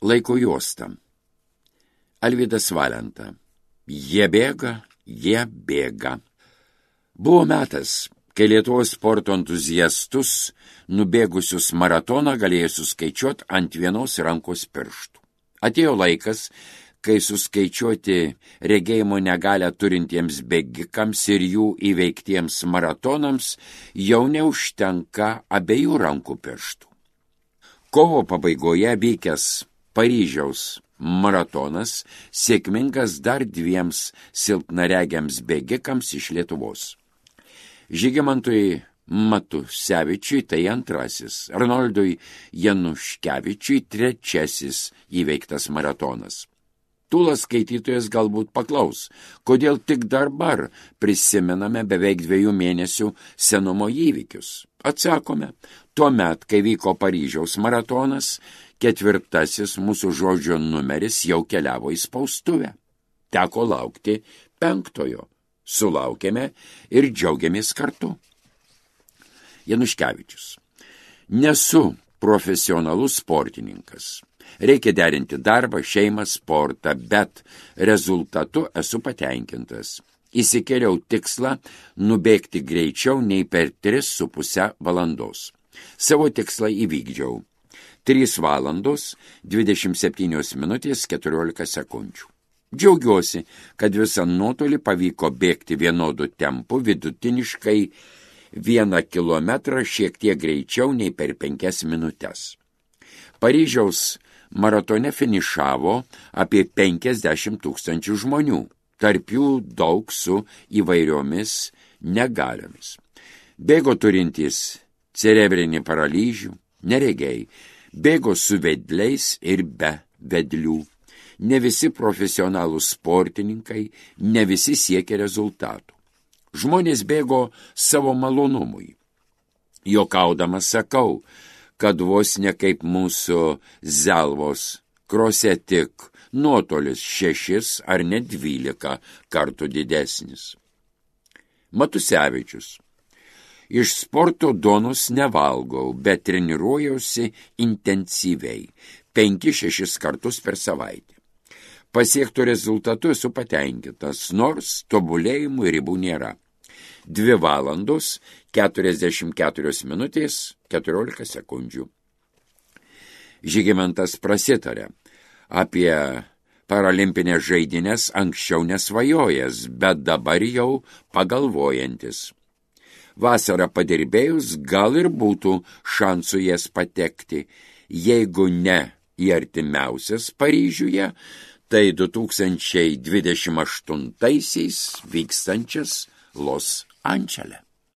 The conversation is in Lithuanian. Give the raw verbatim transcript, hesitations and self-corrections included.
Laiko juosta. Alvydas Valenta. Jie bėga, jie bėga. Buvo metas, kai Lietuvos sporto entuziastus nubėgusius maratoną galėjo suskaičiuoti ant vienos rankos pirštų. Atėjo laikas, kai suskaičiuoti regėjimo negalią turintiems bėgikams ir jų įveiktiems maratonams jau neužtenka abiejų rankų pirštų. Kovo pabaigoje vykęs Paryžiaus maratonas sėkmingas dar dviems silpnaregiams bėgikams iš Lietuvos. Žygimantui Matusevičiui tai antrasis, Arnoldui Januškevičiui trečiasis įveiktas maratonas. Tūlas skaitytojas galbūt paklaus, kodėl tik dabar prisimename beveik dviejų mėnesių senumo įvykius. Atsakome, tuomet, kai vyko Paryžiaus maratonas, ketvirtasis mūsų žodžio numeris jau keliavo į spaustuvę. Teko laukti penktojo. Sulaukėme ir džiaugiamės kartu. Januškevičius. Nesu profesionalus sportininkas. Reikia derinti darbą, šeimą, sportą, bet rezultatu esu patenkintas. Įsikėliau tikslą nubėgti greičiau nei per tris su puse valandos. Savo tikslą įvykdžiau. trys valandos, dvidešimt septynios minutės, keturiolika sekundžių. Džiaugiuosi, kad visą nuotolį pavyko bėgti vienodu tempu, vidutiniškai vieną kilometrą šiek tiek greičiau nei per penkias minutes. Paryžiaus maratone finišavo apie penkiasdešimt tūkstančių žmonių, tarp jų daug su įvairiomis negaliomis. Bėgo turintys cerebrinį paralyžių, neregiai, bėgo su vedliais ir be vedlių. Ne visi profesionalūs sportininkai, ne visi siekia rezultatų. Žmonės bėgo savo malonumui. Jokaudamas sakau, kad vos ne kaip mūsų Zelvos krose tik nuotolis šešis ar net dvylika kartų didesnis. Matusevičius. Iš sporto duonos nevalgau, bet treniruojausi intensyviai, penki šešis kartus per savaitę. Pasiektų rezultatų esu patenkintas, nors tobulėjimų ribų nėra. Dvi valandos, keturiasdešimt keturios minutės, keturiolika sekundžių. Žygimantas prasitarė apie paralimpinės žaidynės anksčiau nesvajojęs, bet dabar jau pagalvojantis. Vasarą padirbėjus gal ir būtų šansų jas patekti, jeigu ne į artimiausias Paryžiuje, tai du tūkstančiai dvidešimt aštuntaisiais vykstančias Los Andžele.